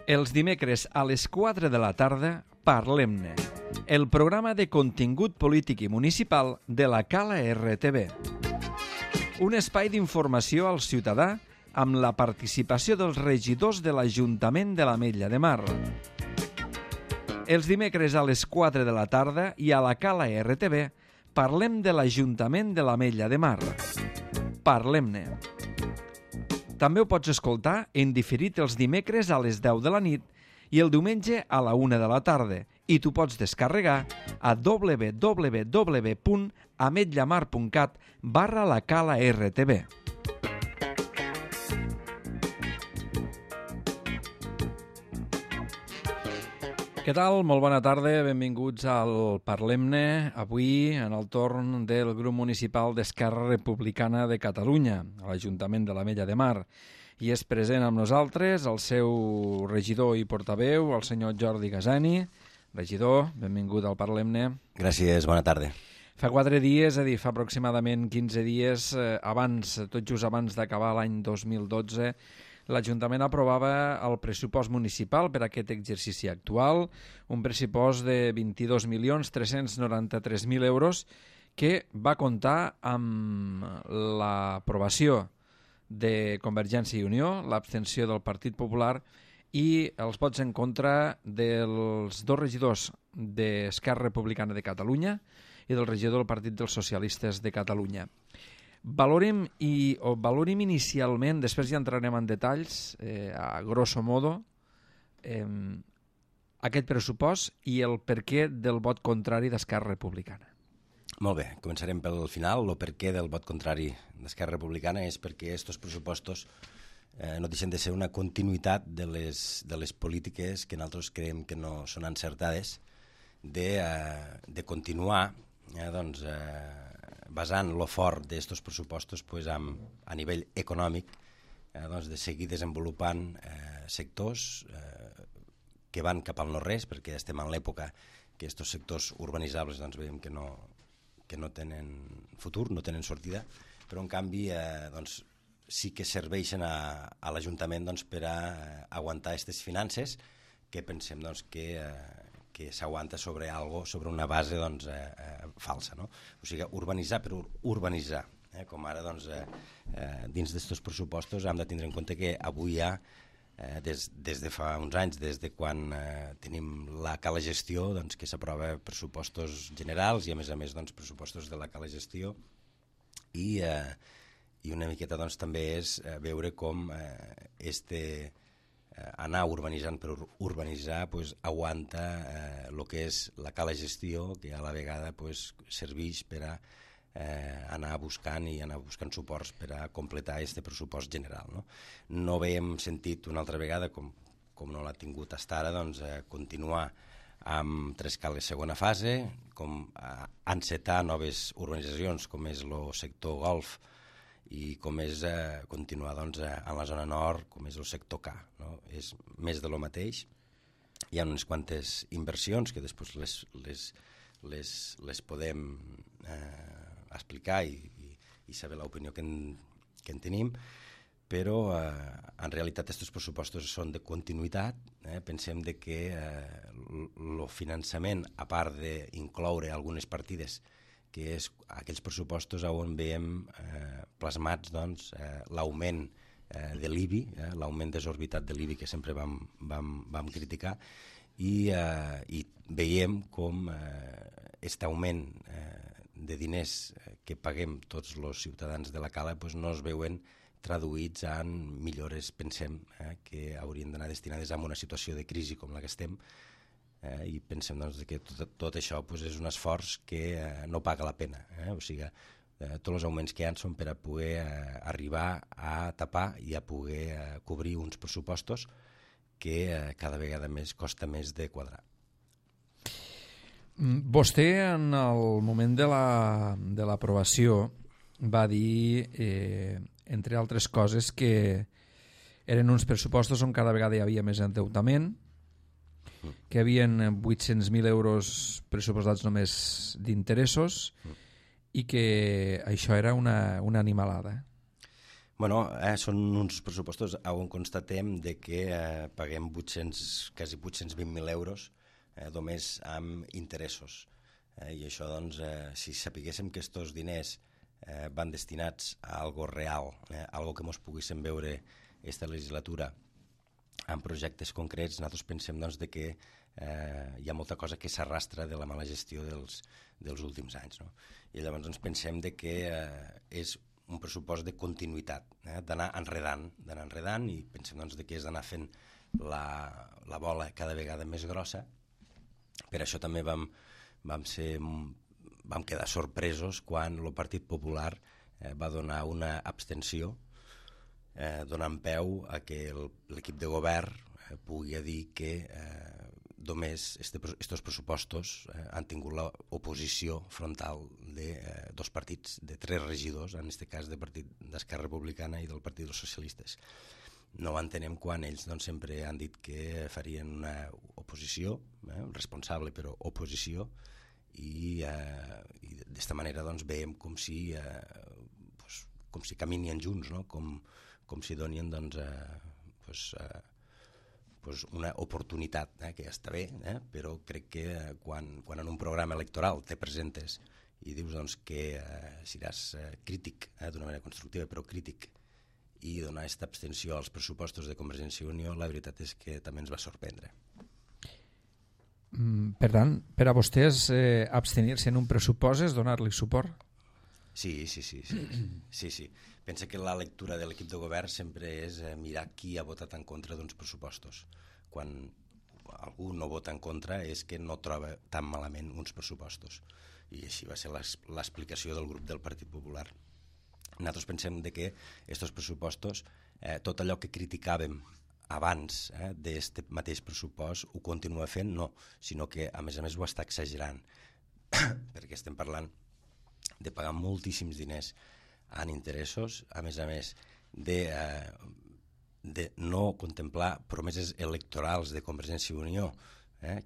Els dimecres a les 4 de la tarda, Parlem-ne, el programa de contingut polític i municipal de la Cala RTV. Un espai d'informació al ciutadà amb la participació dels regidors de l'Ajuntament de l'Ametlla de Mar. Els dimecres a les 4 de la tarda i a la Cala RTV parlem de l'Ajuntament de l'Ametlla de Mar. Parlem-ne. També ho pots escoltar en diferit els dimecres a les 10 de la nit i el diumenge a la 1 de la tarda i t'ho pots descarregar a www.ametllamar.cat/la Cala RTV. Què tal? Molt bona tarda, benvinguts al Parlem-ne, avui en el torn del grup municipal d'Esquerra Republicana de Catalunya, a l'Ajuntament de l'Ametlla de Mar. I és present amb nosaltres el seu regidor i portaveu, el senyor Jordi Gasani. Regidor, benvingut al Parlem-ne. Gràcies, bona tarda. Fa 4 dies, és a dir, fa aproximadament 15 dies, tot just abans d'acabar l'any 2012, l'Ajuntament aprovava el pressupost municipal per a aquest exercici actual, un pressupost de 22.393.000 euros que va comptar amb l'aprovació de Convergència i Unió, l'abstenció del Partit Popular i els vots en contra dels dos regidors d'Esquerra Republicana de Catalunya i del regidor del Partit dels Socialistes de Catalunya. Valorem inicialment, després ja entrarem en detalls, a grosso modo, aquest pressupost i el perquè del vot contrari d'Esquerra Republicana. Molt bé, començarem pel final. El perquè del vot contrari d'Esquerra Republicana és perquè aquests pressupostos no deixen de ser una continuïtat de les polítiques que nosaltres creiem que no són encertades de continuar basant lo fort d'aquests pressupostos a nivell econòmic, de seguir desenvolupant sectors que van cap al no-res, perquè estem en l'època que aquests sectors urbanitzables veiem que no tenen futur, no tenen sortida, però en canvi sí que serveixen a l'Ajuntament per a aguantar aquestes finances que pensem que s'aguanta sobre una base falsa, no? O sigui, urbanitzar per urbanitzar, com ara dins d'aquests pressupostos hem de tindre en compte que avui hi ha, des de fa uns anys, des de quan tenim la Cala Gestió, que s'aprova pressupostos generals i a més pressupostos de la Cala Gestió i una miqueta també és veure com anar urbanitzant per urbanitzar aguanta el que és la Cala Gestió, que a la vegada serveix per a anar buscant suports per a completar aquest pressupost general. No veiem sentit una altra vegada, com no l'ha tingut fins ara, continuar amb tres cales segona fase, com encetar noves urbanitzacions com és el sector golf i com és continuar en la zona nord, com és el sector K. És més de lo mateix. Hi ha unes quantes inversions que després les podem explicar i saber l'opinió que en tenim, però en realitat aquests pressupostos són de continuïtat. Pensem que el finançament, a part d'incloure algunes partides, que és aquells pressupostos on veiem plasmats l'augment de l'IBI, l'augment desorbitat de l'IBI que sempre vam criticar, i veiem com aquest augment de diners que paguem tots els ciutadans de la Cala no es veuen traduïts en millores, pensem, que haurien d'anar destinades a una situació de crisi com la que estem, i pensem que tot això és un esforç que no paga la pena. O sigui, tots els augments que hi ha són per a poder arribar a tapar i a poder cobrir uns pressupostos que cada vegada més costa més de quadrar. Vostè, en el moment de l'aprovació, va dir, entre altres coses, que eren uns pressupostos on cada vegada hi havia més endeutament, que hi havia 800.000 euros pressupostats només d'interessos i que això era una animalada. Bueno, són uns pressupostos on constatem de que paguem quasi 820.000 euros només amb interessos. I això, doncs, si sapiguéssim que aquests diners van destinats a algo real, algo que ens poguéssim veure aquesta legislatura en projectes concrets, nosaltres pensem doncs, de que hi ha molta cosa que s'arrastra de la mala gestió dels últims anys. No? I llavors doncs, pensem de que és un pressupost de continuïtat, d'anar enredant i pensem doncs, de que és d'anar fent la bola cada vegada més grossa. Per això també vam quedar sorpresos quan el Partit Popular va donar una abstenció donant peu a que l'equip de govern pugui dir que només aquests pressupostos han tingut l'oposició frontal de dos partits, de 3 regidors, en aquest cas d'Esquerra Republicana i del Partit dels Socialistes. No ho entenem quan ells doncs, sempre han dit que farien una oposició, responsable però oposició, i d'esta manera doncs, veiem com si caminien junts, no? com si donien doncs, una oportunitat, que ja està bé, però crec que quan en un programa electoral te presentes i dius doncs, que seràs crític, d'una manera constructiva però crític, i donar aquesta abstenció als pressupostos de Convergència i Unió, la veritat és que també ens va sorprendre. Per tant, per a vostès abstenir-se en un pressupost és donar-li suport? Sí. Pensa que la lectura de l'equip de govern sempre és mirar qui ha votat en contra d'uns pressupostos. Quan algú no vota en contra és que no troba tan malament uns pressupostos. I així va ser l'explicació del grup del Partit Popular. Nosaltres pensem que aquests pressupostos, tot allò que criticàvem abans d'aquest mateix pressupost ho continua fent, no, sinó que a més ho està exagerant, perquè estem parlant de pagar moltíssims diners en interessos, a més de no contemplar promeses electorals de Convergència i Unió,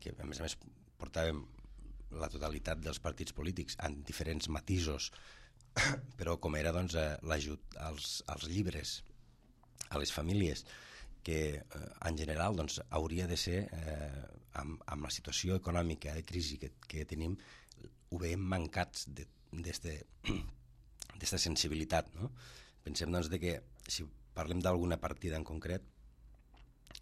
que a més portàvem la totalitat dels partits polítics en diferents matisos, però com era doncs, l'ajut als llibres, a les famílies, que en general doncs, hauria de ser, amb la situació econòmica de crisi que tenim, ho veiem mancats d'esta sensibilitat. No? Pensem doncs, que si parlem d'alguna partida en concret,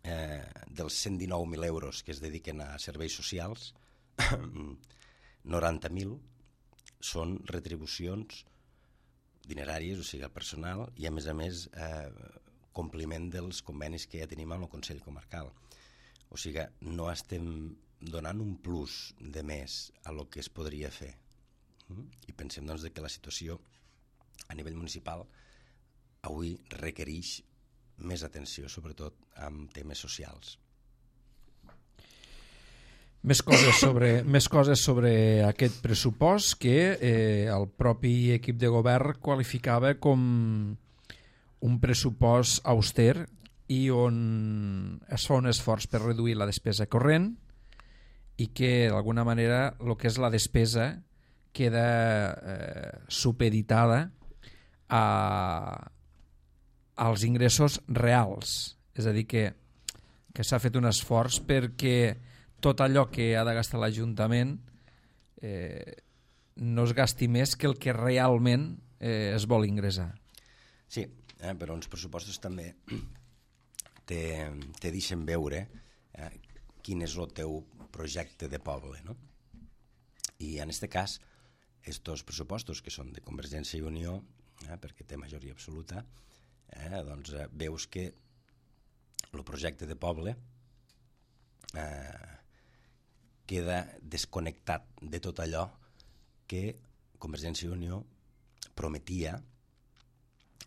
dels 119.000 euros que es dediquen a serveis socials, 90.000 són retribucions dineràries, o sigui, al personal, i a més compliment dels convenis que ja tenim amb el Consell Comarcal. O sigui, no estem donant un plus de més a lo que es podria fer. I pensem doncs, que la situació a nivell municipal avui requereix més atenció, sobretot amb temes socials. Més coses sobre aquest pressupost que el propi equip de govern qualificava com un pressupost auster i on es fa un esforç per reduir la despesa corrent i que d'alguna manera el que és la despesa queda supeditada als ingressos reals. És a dir, que s'ha fet un esforç perquè tot allò que ha de gastar l'Ajuntament no es gasti més que el que realment es vol ingressar. Sí, però uns pressupostos també te deixen veure quin és el teu projecte de poble, no? I en aquest cas, aquests pressupostos que són de Convergència i Unió, perquè té majoria absoluta, doncs veus que el projecte de poble queda desconnectat de tot allò que Convergència i Unió prometia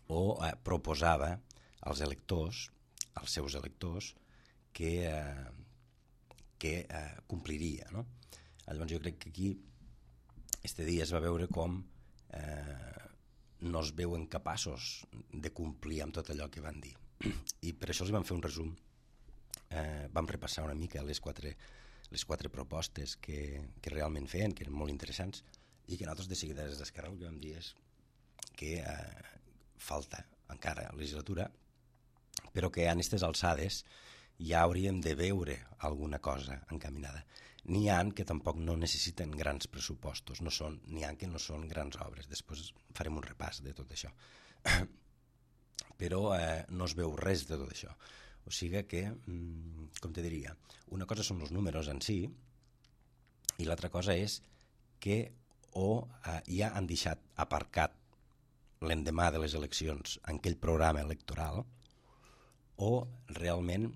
o proposava als electors, als seus electors, que compliria. No? Llavors jo crec que aquí este dia es va veure com no es veuen capaços de complir amb tot allò que van dir. I per això els vam fer un resum. Vam repassar una mica les quatre propostes que realment feien, que eren molt interessants, i que nosaltres de seguida des d'Esquerra el que vam dir és que falta encara legislatura, però que a aquestes alçades ja hauríem de veure alguna cosa encaminada. N'hi ha que tampoc no necessiten grans pressupostos, n'hi ha que no són grans obres. Després farem un repàs de tot això. Però no es veu res de tot això. O sigui que, com te diria, una cosa són els números en si i l'altra cosa és que ja han deixat aparcat l'endemà de les eleccions en aquell programa electoral o realment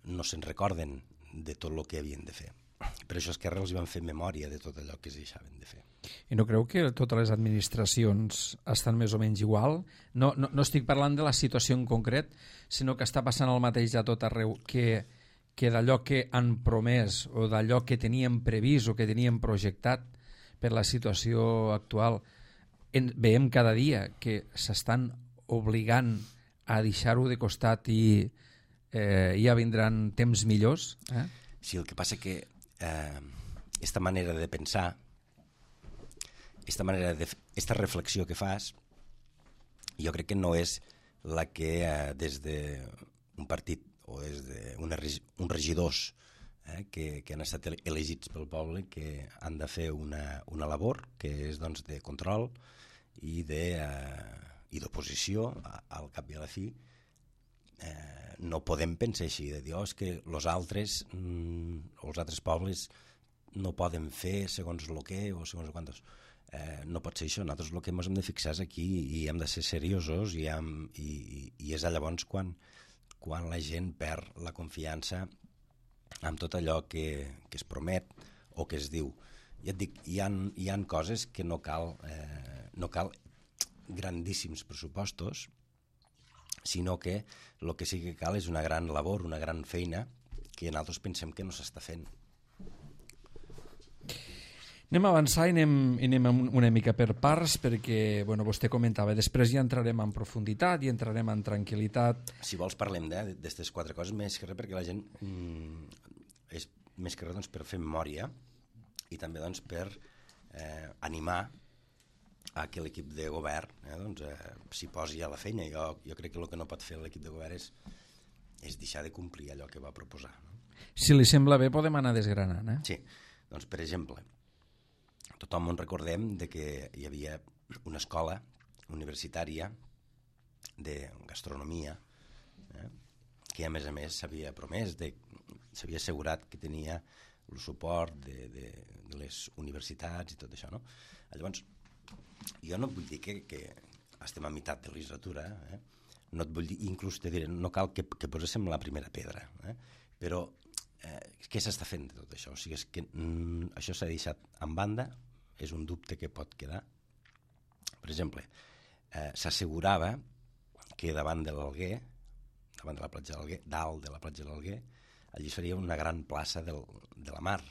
no se'n recorden de tot el que havien de fer. Per això Esquerra els van fer memòria de tot allò que es deixaven de fer. I no creu que totes les administracions estan més o menys igual? No estic parlant de la situació en concret, sinó que està passant el mateix a tot arreu, que d'allò que han promès o d'allò que teníem previst o que teníem projectat per la situació actual, veiem cada dia que s'estan obligant a deixar-ho de costat i ja vindran temps millors. Sí, el que passa que esta manera de pensar, esta reflexió que fas, jo crec que no és la que des d'un partit o des d'uns regidors que han estat elegits pel poble, que han de fer una labor que és doncs, de control i d'oposició al cap i a la fi. No podem pensar així, de dir és que els altres pobles no poden fer segons el que o segons quantos. No pot ser això. Nosaltres el que ens hem de fixar és aquí i hem de ser seriosos i és llavors quan la gent perd la confiança en tot allò que es promet o que es diu. Ja et dic, hi ha coses que no cal grandíssims pressupostos, sinó que el que sí que cal és una gran labor, una gran feina que nosaltres pensem que no s'està fent. Anem a avançar i anem una mica per parts, perquè vostè comentava, després ja entrarem en profunditat i entrarem en tranquil·litat. Si vols parlem d'aquestes 4 coses, més que res perquè la gent és més que res per fer memòria i també per animar a que l'equip de govern s'hi posi a la feina. Jo crec que el que no pot fer l'equip de govern és deixar de complir allò que va proposar. Si li sembla bé, podem anar desgranant. Sí, doncs per exemple, tothom ens recordem que hi havia una escola universitària de gastronomia que a més s'havia promès, s'havia assegurat que tenia el suport de les universitats i tot això, no? Llavors, jo no et vull dir que estem a meitat de legislatura, no et vull dir, inclús te diré, no cal que poséssim la primera pedra, però què s'està fent de tot això? O sigui, és que això s'ha deixat en banda, és un dubte que pot quedar. Per exemple, s'assegurava que davant de l'Alguer, davant de la platja de l'Alguer, dalt de la platja de l'Alguer, allí es faria una gran plaça de la mar,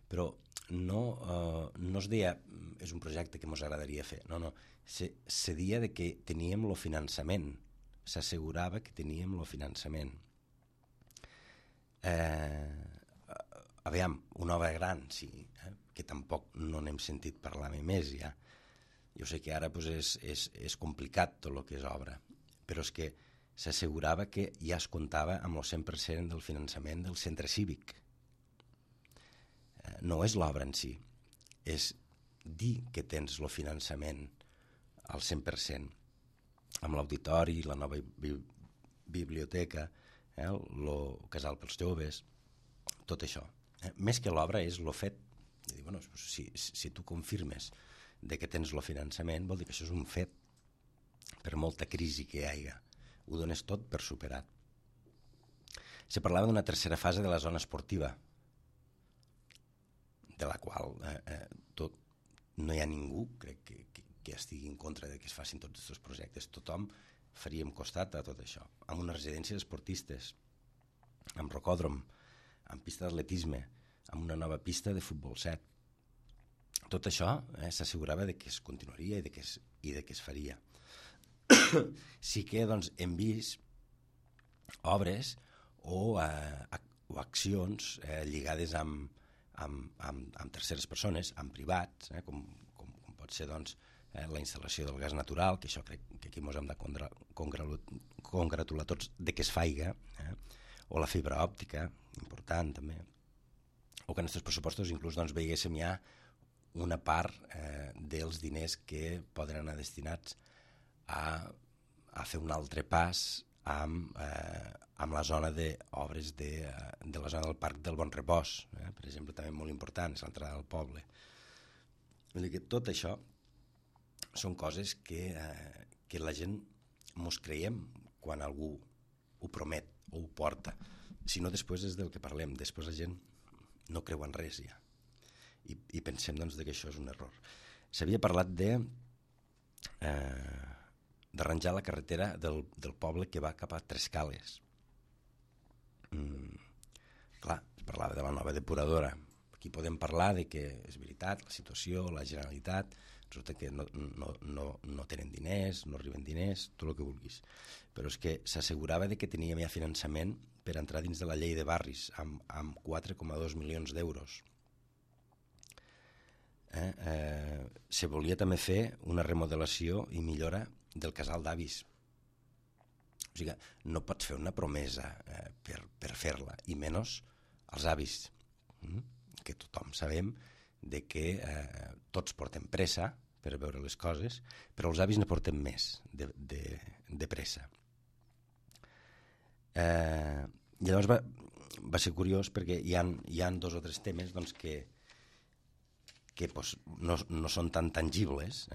però no es deia és un projecte que ens agradaria fer, no, se deia que teníem el finançament, s'assegurava que teníem el finançament. Aviam, una obra gran, sí, que tampoc no n'hem sentit parlar més ja. Jo sé que ara és complicat tot el que és obra, però és que s'assegurava que ja es comptava amb el 100% del finançament del centre cívic. No és l'obra en si, és dir que tens el finançament al 100%, amb l'auditori, la nova biblioteca, el casal pels joves, tot això. Més que l'obra és el fet de dir, bueno, si tu confirmes de que tens el finançament, vol dir que això és un fet, per molta crisi que hi hagi. Ho dones tot per superat. Se parlava d'una tercera fase de la zona esportiva, de la qual no hi ha ningú, crec que estigui en contra de que es facin tots aquests projectes. Tothom faríem costat a tot això, amb unes residències esportistes, amb rocòdrom, amb pista d'atletisme, amb una nova pista de futbol 7. Tot això s'assegurava de que es continuaria i de que es faria. Sí que hem vist obres o accions lligades amb terceres persones, amb privats, com pot ser la instal·lació del gas natural, que això crec que aquí ens hem de congratular tots de que es faiga, o la fibra òptica, important també, o que en aquests pressupostos inclús doncs, veiéssim ja una part dels diners que poden anar destinats a fer un altre pas amb la zona d'obres de la zona del Parc del Bon Repòs, per exemple, també molt important, és l'entrada del poble. Vull dir que tot això són coses que la gent mos creiem quan algú ho promet o ho porta. Si no, després és del que parlem, després la gent no creu en res ja. I pensem doncs, que això és un error. S'havia parlat d'arranjar la carretera del poble que va cap a Trescales. Clar, es parlava de la nova depuradora. Aquí podem parlar de que és veritat, la situació, la Generalitat, resulta que no tenen diners, no arriben diners, tot el que vulguis. Però és que s'assegurava de que teníem ja finançament per entrar dins de la llei de barris amb 4,2 milions d'euros. Se volia també fer una remodelació i millora del casal d'avis. O sigui, no pots fer una promesa per fer-la, i menys als avis, que tothom sabem de que tots portem pressa per veure les coses, però els avis ne porten més de pressa. Llavors va ser curiós perquè hi ha 2 o 3 temes doncs, que no són tan tangibles,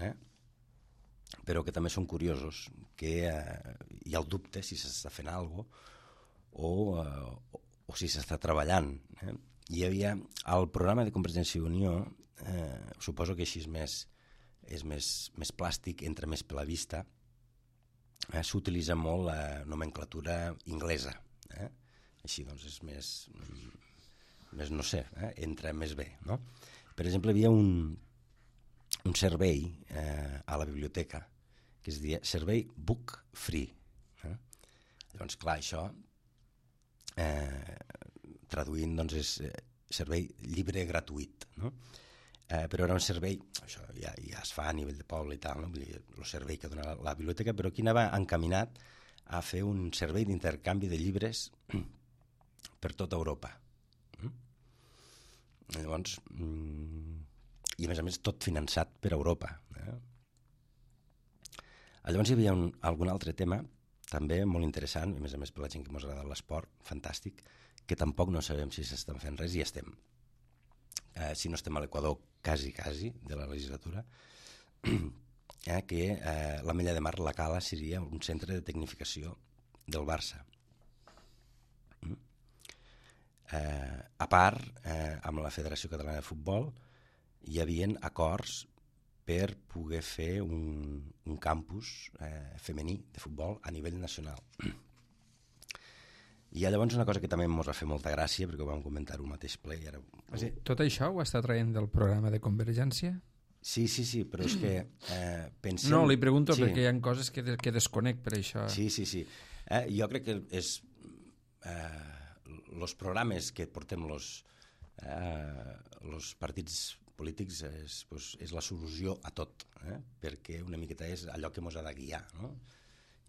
però que també són curiosos, que hi ha el dubte si s'està fent alguna cosa o si s'està treballant. Hi havia el programa de Convergència i Unió, suposo que així és més plàstic, entra més per la vista, s'utilitza molt la nomenclatura inglesa. Així doncs és més no sé, entra més bé, no? Per exemple, hi havia un servei a la biblioteca que es deia servei book free. Llavors, clar, això traduint doncs, és servei llibre gratuït, no? Però era un servei, això ja es fa a nivell de poble i tal, no? Vull dir, el servei que dona la biblioteca, però aquí anava encaminat a fer un servei d'intercanvi de llibres per tota Europa. Llavors, i a més tot finançat per Europa. Llavors hi havia algun altre tema també molt interessant, a més per la gent que ens agrada l'esport, fantàstic, que tampoc no sabem si s'estan fent res i estem. Si no estem a l'Equador quasi de la legislatura, que la Mella de Mar, la Cala, seria un centre de tecnificació del Barça. A part, amb la Federació Catalana de Futbol hi havia acords per poder fer un campus femení de futbol a nivell nacional. Hi ha llavors una cosa que també ens va fer molta gràcia, perquè ho vam comentar un mateix ple. I ara... Tot això ho està traient del programa de Convergència? Sí, però és que pensem... No, li pregunto perquè hi ha coses que desconec per això. Sí. Jo crec que és... els programes que portem els partits polítics és la solució a tot, perquè una miqueta és allò que ens ha de guiar, no?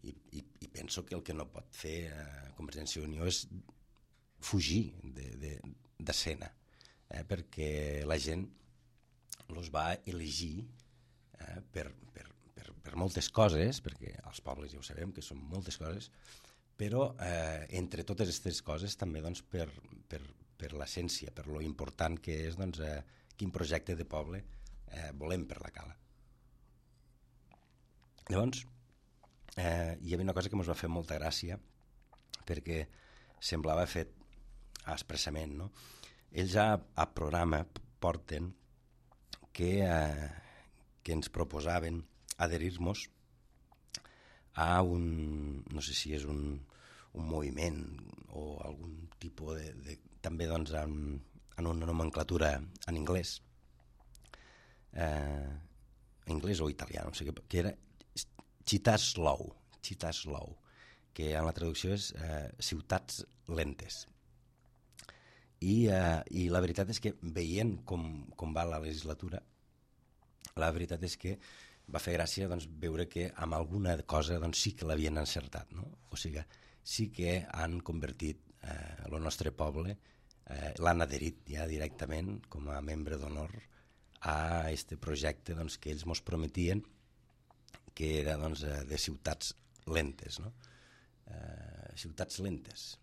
I penso que el que no pot fer Convergència i Unió és fugir d'escena, perquè la gent els va elegir per moltes coses, perquè els pobles ja ho sabem que són moltes coses, però entre totes aquestes coses també doncs, per l'essència, per lo important que és doncs, quin projecte de poble volem per la Cala. Llavors, hi havia una cosa que ens va fer molta gràcia perquè semblava fet expressament, no? Ells a programa porten que ens proposaven adherir-nos a no sé si és un moviment o algun tipus també doncs en una nomenclatura en anglès o italià, no sé què, que era Città Slow, que en la traducció és ciutats lentes. I la veritat és que veient com va la legislatura, la veritat és que va fer gràcia doncs, veure que amb alguna cosa doncs, sí que l'havien encertat, no? O sigui, sí que han convertit el nostre poble, l'han adherit ja directament com a membre d'honor a aquest projecte doncs, que ells mos prometien, que era doncs, de ciutats lentes, no? Ciutats lentes.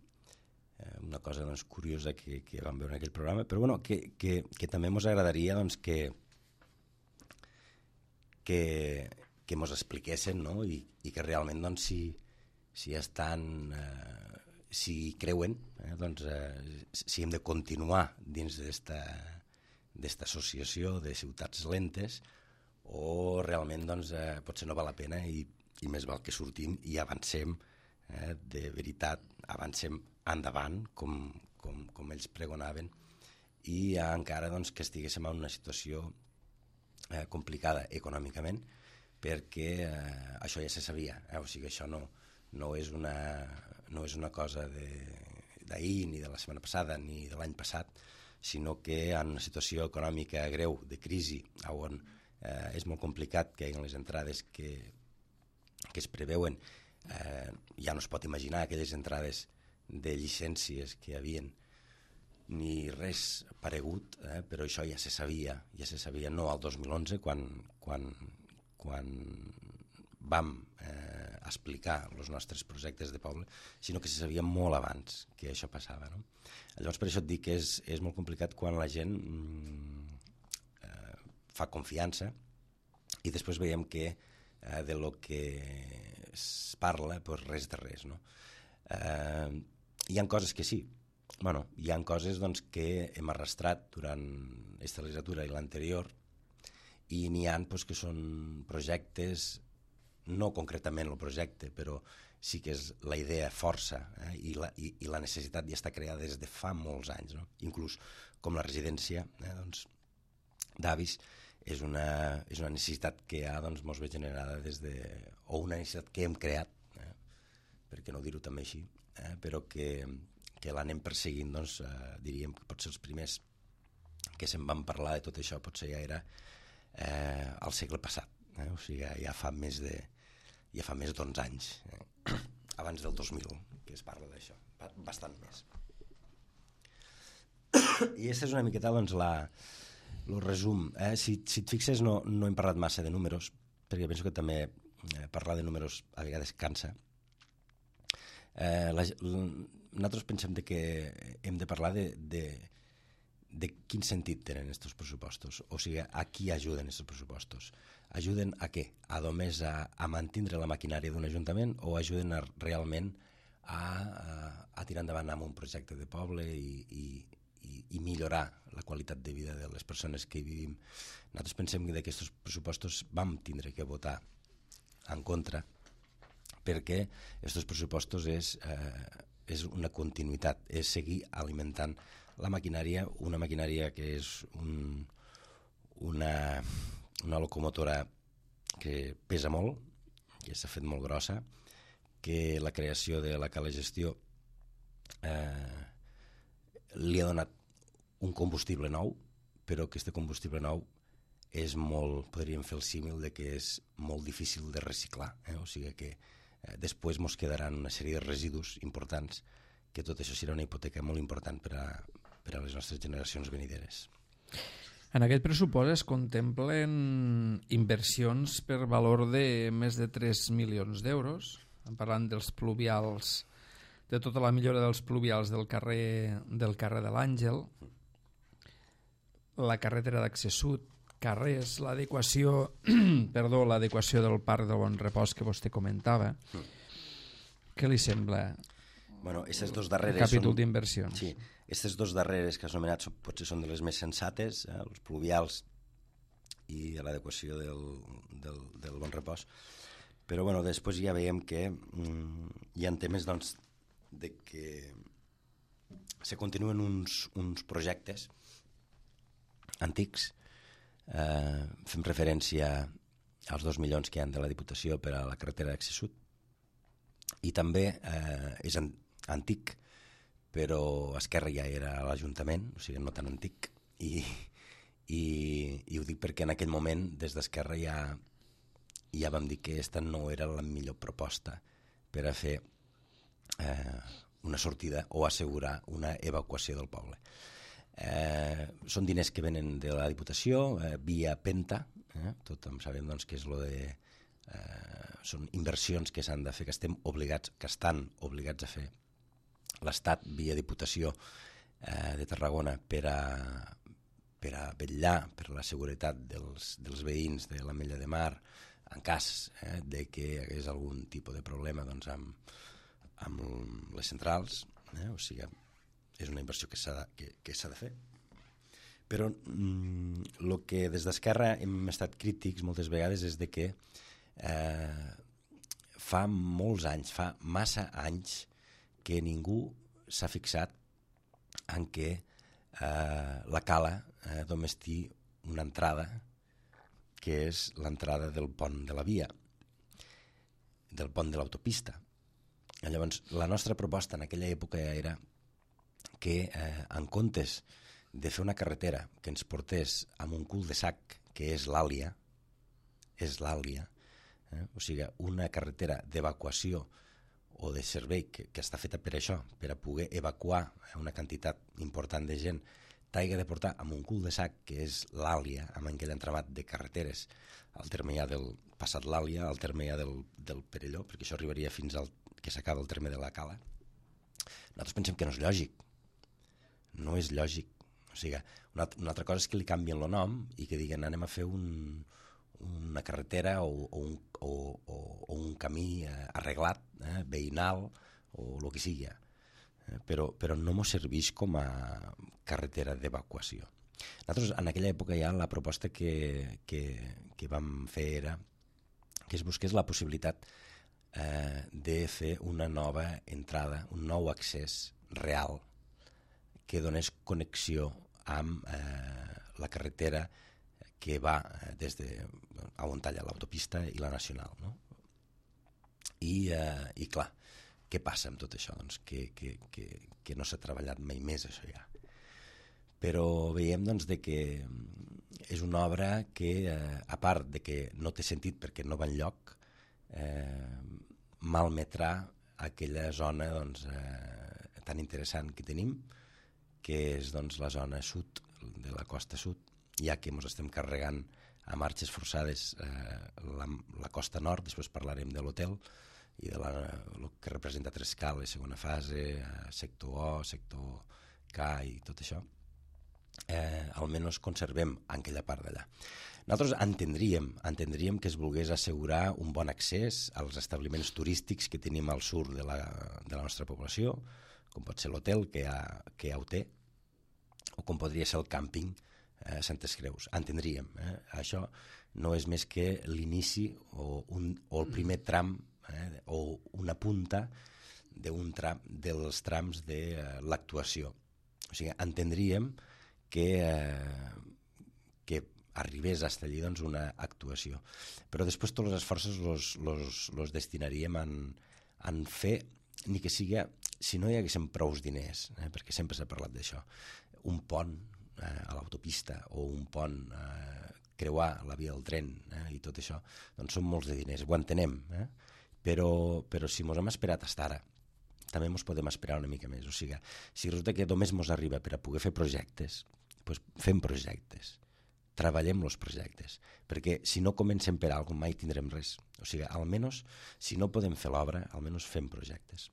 Una cosa doncs, curiosa que vam veure en aquell programa, però bueno, que també ens agradaria doncs, que mos expliquessin, no? I que realment doncs, si estan si creuen doncs, si hem de continuar dins d'esta associació de ciutats lentes o realment doncs, potser no val la pena i més val que sortim i avancem, de veritat, avancem endavant com ells pregonaven i encara doncs, que estiguéssim en una situació complicada econòmicament, perquè això ja se sabia, o sigui, això no és una cosa d'ahir, ni de la setmana passada, ni de l'any passat, sinó que en una situació econòmica greu, de crisi, on és molt complicat que hi hagi les entrades que es preveuen, ja no es pot imaginar aquelles entrades de llicències que hi havien, ni res paregut, però això ja se sabia no al 2011 quan vam explicar els nostres projectes de poble, sinó que se sabia molt abans que això passava, no? Llavors per això et dic que és molt complicat quan la gent fa confiança i després veiem que de lo que es parla pues res de res, no? Hi ha coses que sí. Bueno, hi ha coses doncs, que hem arrastrat durant aquesta legislatura i l'anterior i n'hi ha doncs, que són projectes, no concretament el projecte, però sí que és la idea força i la necessitat ja està creada des de fa molts anys, no? Inclús com la residència doncs, d'avis és una necessitat que ja doncs, mos ve generada o una necessitat que hem creat, per què no dir-ho també així, però que l'anem perseguint, doncs, diríem que potser els primers que se'n van parlar de tot això potser ja era al segle passat, o sigui, ja fa més d'11 anys, abans del 2000 que es parla d'això, bastant més. I aquesta és una miqueta doncs, el resum. Si et fixes no hem parlat massa de números, perquè penso que també parlar de números a vegades cansa. Nosaltres pensem que hem de parlar de quin sentit tenen aquests pressupostos, o sigui, a qui ajuden aquests pressupostos. Ajuden a què? Només a mantenir la maquinària d'un ajuntament o ajuden realment a tirar endavant amb un projecte de poble i millorar la qualitat de vida de les persones que hi vivim. Nosaltres pensem que d'aquests pressupostos vam tindre que votar en contra perquè aquests pressupostos és una continuïtat, és seguir alimentant la maquinària, una maquinària que és una locomotora que pesa molt, que s'ha fet molt grossa, que la creació de la Cala Gestió li ha donat un combustible nou, però aquest combustible nou és molt, podríem fer el símil de que és molt difícil de reciclar, o sigui que després ens quedaran una sèrie de residus importants, que tot això serà una hipoteca molt important per a les nostres generacions venideres. En aquest pressupost es contemplen inversions per valor de més de 3 milions d'euros, parlant dels pluvials, de tota la millora dels pluvials del carrer de l'Àngel, la carretera d'accés sud, carrers, l'adequació del Parc del Bon Repòs que vostè comentava. Què li sembla el capítol d'inversions? Sí, aquestes dues darreres que has anomenat potser són de les més sensates, els pluvials i l'adequació del Bon Repòs, però després ja veiem que hi ha temes doncs, de que se continuen uns projectes antics. Fem referència als 2 milions que hi ha de la Diputació per a la carretera d'accés sud i també és antic, però Esquerra ja era a l'Ajuntament, o sigui, no tan antic, i ho dic perquè en aquell moment des d'Esquerra ja i ja vam dir que aquesta no era la millor proposta per a fer una sortida o assegurar una evacuació del poble. Són diners que venen de la Diputació via Penta, tothom sabem doncs, que és lo de són inversions que s'han de fer, que estan obligats a fer l'Estat via Diputació de Tarragona per a vetllar per la seguretat dels veïns de l'Ametlla de Mar en cas de que hi hagués algun tipus de problema doncs, amb les centrals, o sigui, és una inversió que s'ha de fer. Però el que des d'Esquerra hem estat crítics moltes vegades és de que fa molts anys, fa massa anys que ningú s'ha fixat en què la cala només té una entrada, que és l'entrada del pont de la via, del pont de l'autopista. Llavors, la nostra proposta en aquella època era que en comptes de fer una carretera que ens portés amb un cul de sac, que és l'Àlia, o sigui, una carretera d'evacuació o de servei que està feta per això, per a poder evacuar una quantitat important de gent, t'hagi de portar amb un cul de sac, que és l'Àlia, amb aquell entramat de carreteres, al terme ja del passat l'Àlia, al terme ja del Perelló, perquè això arribaria fins al que s'acaba el terme de la Cala. Nosaltres pensem que no és lògic. No és lògic. O sigui, una altra cosa és que li canvien el nom i que diguen anem a fer una carretera o un camí arreglat, veïnal o el que sigui. Però no mos serveix com a carretera d'evacuació. Nosaltres en aquella època ja la proposta que vam fer era que es busqués la possibilitat de fer una nova entrada, un nou accés real que donés connexió amb la carretera que va des de on talla l'autopista i la nacional. No? I clar, què passa amb tot això? Doncs que no s'ha treballat mai més això ja. Però veiem doncs, de que és una obra que, a part de que no té sentit perquè no va enlloc, malmetrà aquella zona doncs, tan interessant que tenim, que és doncs, la zona sud, de la costa sud, ja que ens estem carregant a marxes forçades la costa nord, després parlarem de l'hotel, i de el que representa Trescales, segona fase, sector O, sector K i tot això, almenys conservem aquella part d'allà. Nosaltres entendríem que es volgués assegurar un bon accés als establiments turístics que tenim al sud de la nostra població, com pot ser l'hotel, que ja ho té, o com podria ser el càmping Santes Creus. Entendríem. Això no és més que l'inici o el primer tram o una punta dels trams de l'actuació. O sigui, entendríem que arribés a allí doncs, una actuació. Però després tots els esforços los destinaríem en fer, ni que sigui, si no hi haguessin prous diners, perquè sempre s'ha parlat d'això, un pont a l'autopista o un pont creuar la via del tren i tot això, doncs són molts de diners, ho entenem, però si mos hem esperat fins ara, també ens podem esperar una mica més. O sigui, si resulta que només ens arriba per a poder fer projectes, doncs fem projectes, treballem els projectes, perquè si no comencem per alguna cosa mai tindrem res. O sigui, almenys, si no podem fer l'obra, almenys fem projectes.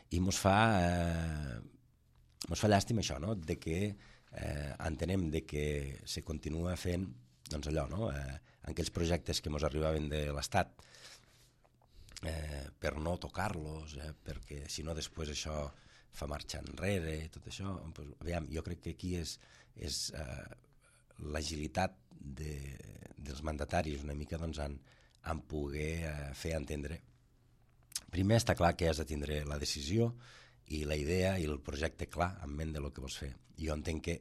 I ens fa llàstima això, no? De que entenem de que se continua fent doncs allò, no? Aquells projectes que ens arribaven de l'Estat per no tocar-los, perquè si no després això fa marxa enrere i tot això. Pues, aviam, jo crec que aquí és l'agilitat dels mandataris una mica doncs, en poder fer entendre. Primer està clar que has de tindre la decisió i la idea i el projecte clar en ment de lo que vols fer. Jo entenc que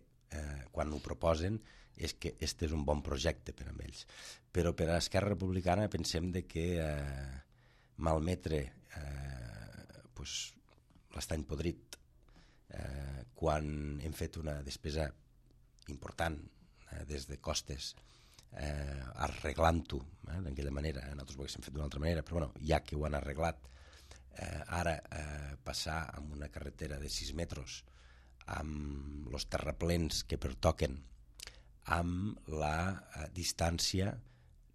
quan ho proposen és que este és un bon projecte per a ells. Però per a Esquerra Republicana pensem de que malmetre l'estany podrit quan hem fet una despesa important des de costes arreglant-ho d'aquella manera. Nosaltres ho haguéssim fet d'una altra manera, però bueno, ja que ho han arreglat, ara passar amb una carretera de 6 metres amb els terraplens que pertoquen, amb la distància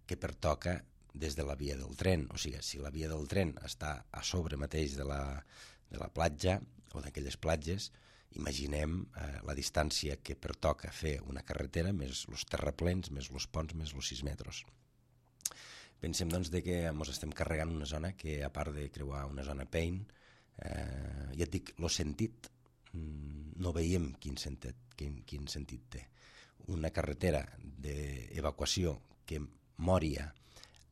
que pertoca des de la via del tren. O sigui, si la via del tren està a sobre mateix de la platja o d'aquelles platges, imaginem la distància que pertoca fer una carretera més els terraplens, més els ponts, més els 6 metres. Pensem doncs que ens estem carregant una zona que, a part de creuar una zona Pain, ja et dic, el sentit, no veiem quin sentit té. Una carretera d'evacuació que Mòria,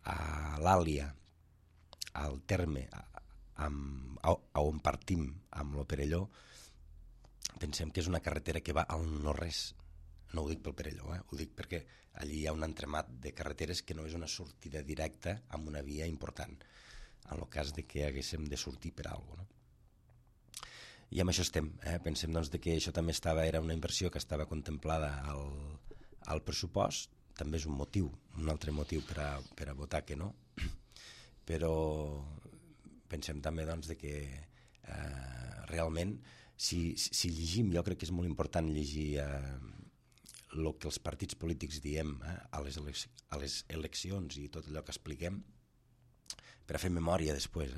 a l'Àlia, al terme, on partim amb lo Perelló, pensem que és una carretera que va al no-res. No ho dic pel Perelló, ho dic perquè allí hi ha un entremat de carreteres que no és una sortida directa amb una via important, en el cas de que haguéssim de sortir per alguna cosa, no? I amb això estem. Pensem doncs, que això també era una inversió que estava contemplada al pressupost. També és un motiu, un altre motiu per a votar que no, però pensem també doncs, que realment si llegim, jo crec que és molt important llegir el que els partits polítics diem a les eleccions i tot allò que expliquem per a fer memòria després.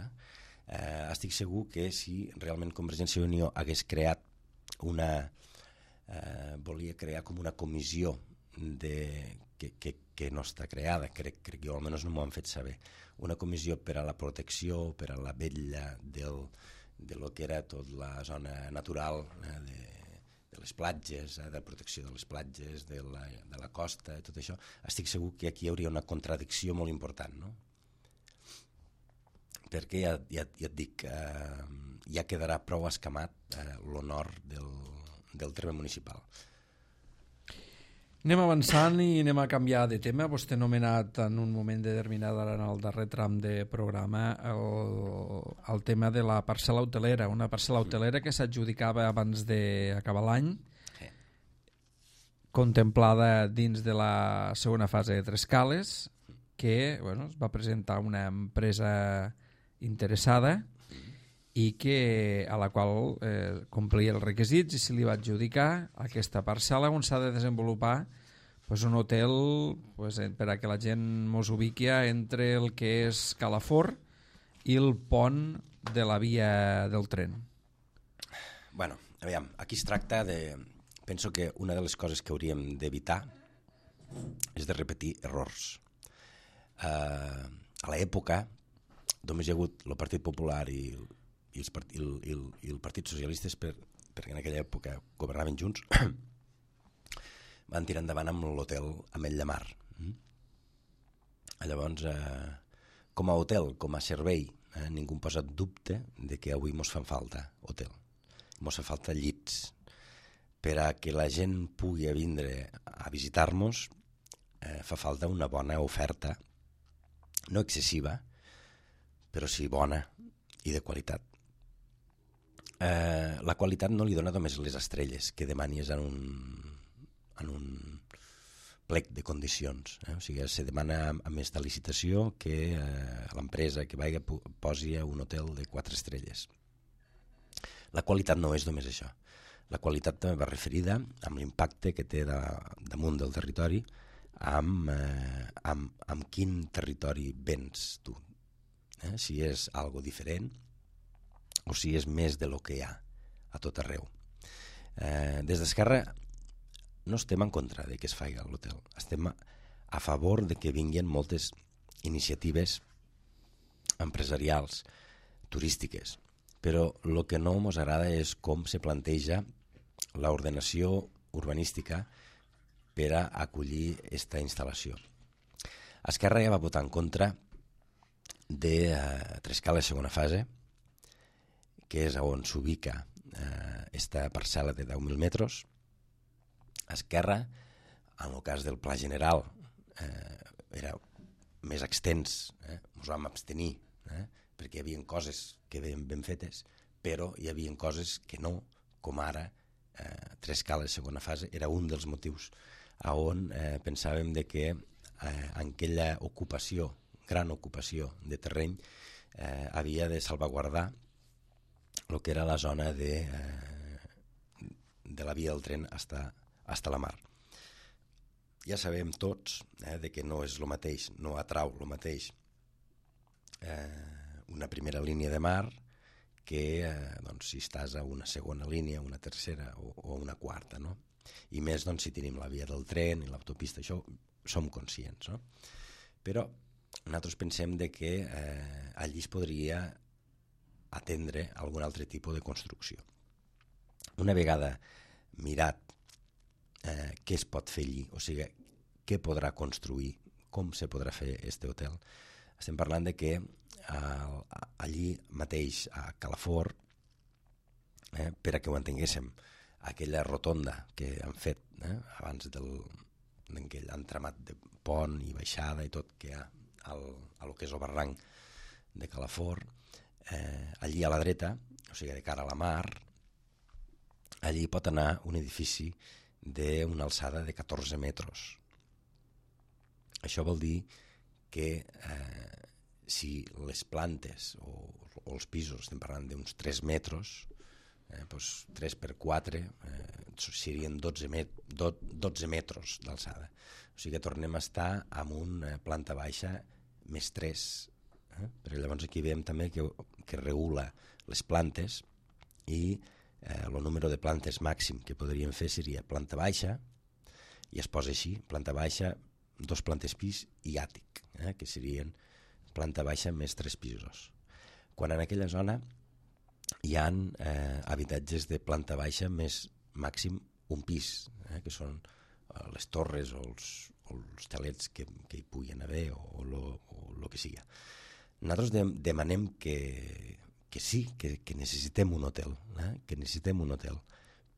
Estic segur que si realment Convergència i Unió hagués creat volia crear com una comissió que no està creada, crec que jo almenys no m'ho han fet saber, una comissió per a la protecció, per a la vetlla de lo que era tota la zona natural de les platges, de protecció de les platges, de la costa, tot això. Estic segur que aquí hi hauria una contradicció molt important, no? Perquè ja et dic, ja quedarà prou escamat l'honor del terme municipal. Anem avançant i anem a canviar de tema. Vostè ha anomenat en un moment determinat en el darrer tram de programa el tema de la parcel·la hotelera, una parcel·la hotelera que s'adjudicava abans d'acabar l'any, contemplada dins de la segona fase de Trescales, que es va presentar una empresa interessada i a la qual complia els requisits i se li va adjudicar aquesta parcel·la on s'ha de desenvolupar un hotel per a que la gent mos ubiqui entre el que és Calafort i el pont de la via del tren. Bueno, aviam, aquí es tracta de... Penso que una de les coses que hauríem d'evitar és de repetir errors. A l'època només hi ha hagut el Partit Popular i el Partit Socialistes, perquè en aquella època governaven junts, van tirar endavant amb l'hotel Ametlla Mar. Llavors, com a hotel, com a servei, ningú posa dubte de que avui mos fan falta hotel. Mos fa falta llits. Per a que la gent pugui vindre a visitar-nos, fa falta una bona oferta, no excessiva, però sí bona i de qualitat. La qualitat no li dona només les estrelles que demanis en un plec de condicions. O sigui, se demana a més de licitació que l'empresa que posi un hotel de 4 estrelles. La qualitat no és només això. La qualitat també va referida amb l'impacte que té damunt del territori, amb quin territori vens tu. Si és algo diferent o si és més de lo que hi ha a tot arreu. Des d'Esquerra no estem en contra de que es faci l'hotel, estem a favor de que vinguin moltes iniciatives empresarials, turístiques, però el que no ens agrada és com se planteja l'ordenació urbanística per a acollir aquesta instal·lació. Esquerra ja va votar en contra de Trescales segona fase, que és on s'ubica aquesta parcel·la de 10.000 metres. Esquerra, en el cas del Pla General, era més extens, ens vam abstenir, perquè hi havia coses que veien ben fetes, però hi havia coses que no, com ara Trescales segona fase, era un dels motius on pensàvem que en aquella ocupació, gran ocupació de terreny, havia de salvaguardar el que era la zona de la via del tren hasta la mar. Ja sabem tots de que no és el mateix, no atrau el mateix una primera línia de mar que si estàs a una segona línia, una tercera o una quarta, no? I més si tenim la via del tren i l'autopista, això som conscients, no? Però nosaltres pensem que allí es podria atendre algun altre tipus de construcció. Una vegada mirat què es pot fer allí, o sigui, què podrà construir, com se podrà fer aquest hotel, estem parlant de que allí mateix a Calafort, per a que ho entenguéssim, aquella rotonda que han fet abans d'aquell entramat de pont i baixada i tot que hi ha a lo que és el barranc de Calafort, allí a la dreta, o sigui, de cara a la mar, allí pot anar un edifici d'una alçada de 14 metres. Això vol dir que si les plantes o els pisos, estem parlant d'uns 3 metres, 3 per 4 serien 12 metres d'alçada. O sigui que tornem a estar amb una planta baixa més 3. Però llavors aquí veiem també que regula les plantes i el número de plantes màxim que podríem fer seria planta baixa, i es posa així, planta baixa, 2 plantes pis i àtic, que serien planta baixa més 3 pisos. Quan en aquella zona hi ha habitatges de planta baixa més màxim un pis, que són les torres o els telets que hi puguin haver o el que sigui. Nosaltres demanem que sí, que necessitem un hotel,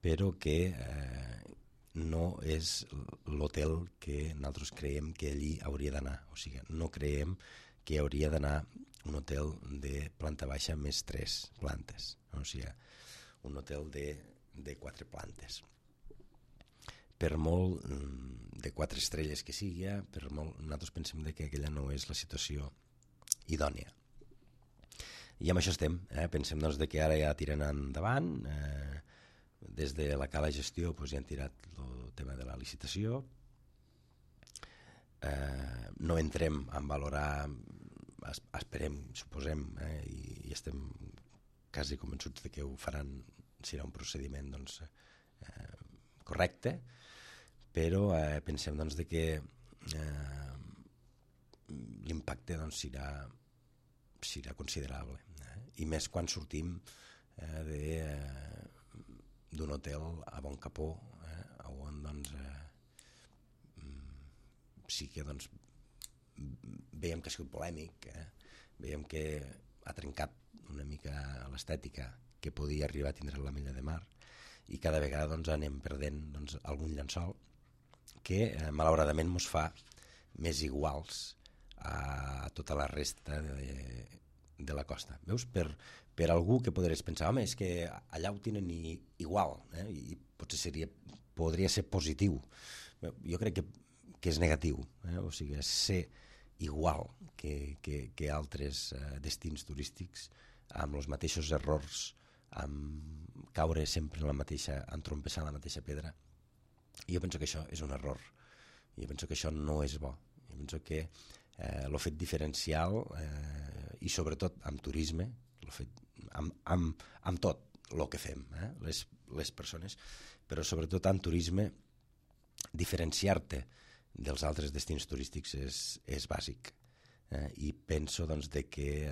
però que no és l'hotel que nosaltres creiem que allí hauria d'anar. O sigui, no creiem que hauria d'anar un hotel de planta baixa més 3 plantes, o sigui, un hotel de 4 plantes. Per molt de 4 estrelles que sigui, nosaltres pensem que aquella no és la situació idònia. I amb això estem, pensem que ara ja tiren endavant, des de la Cala Gestió ja han tirat el tema de la licitació, no entrem a valorar, esperem, suposem, i estem quasi convençuts que ho faran, serà un procediment correcte, però pensem que l'impacte serà considerable, i més quan sortim d'un hotel a Bon Capó, on sí que veiem que ha sigut polèmic, veiem que ha trencat una mica l'estètica que podia arribar a tindre l'Ametlla de Mar, i cada vegada anem perdent algun llençol que malauradament ens fa més iguals a tota la resta de la costa. Veus? Per algú que podries pensar, home, és que allà ho tenen igual, i potser podria ser positiu. Jo crec que és negatiu, o sigui, ser igual que altres destins turístics, amb els mateixos errors, amb caure sempre en la mateixa, entrompessar en la mateixa pedra. Jo penso que això és un error, jo penso que això no és bo, jo penso que el fet diferencial, i sobretot amb turisme, amb tot el que fem, les persones, però sobretot amb turisme, diferenciar-te dels altres destins turístics és bàsic, i penso que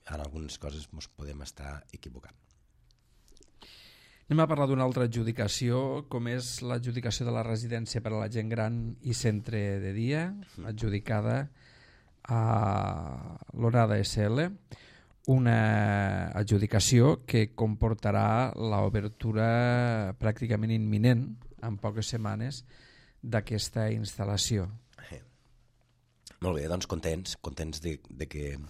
en algunes coses ens podem estar equivocant. Anem a parlar d'una altra adjudicació, com és l'adjudicació de la residència per a la gent gran i centre de dia, adjudicada a l'Onada SL, una adjudicació que comportarà l'obertura pràcticament imminent, en poques setmanes, d'aquesta instal·lació. Molt bé, doncs contents de que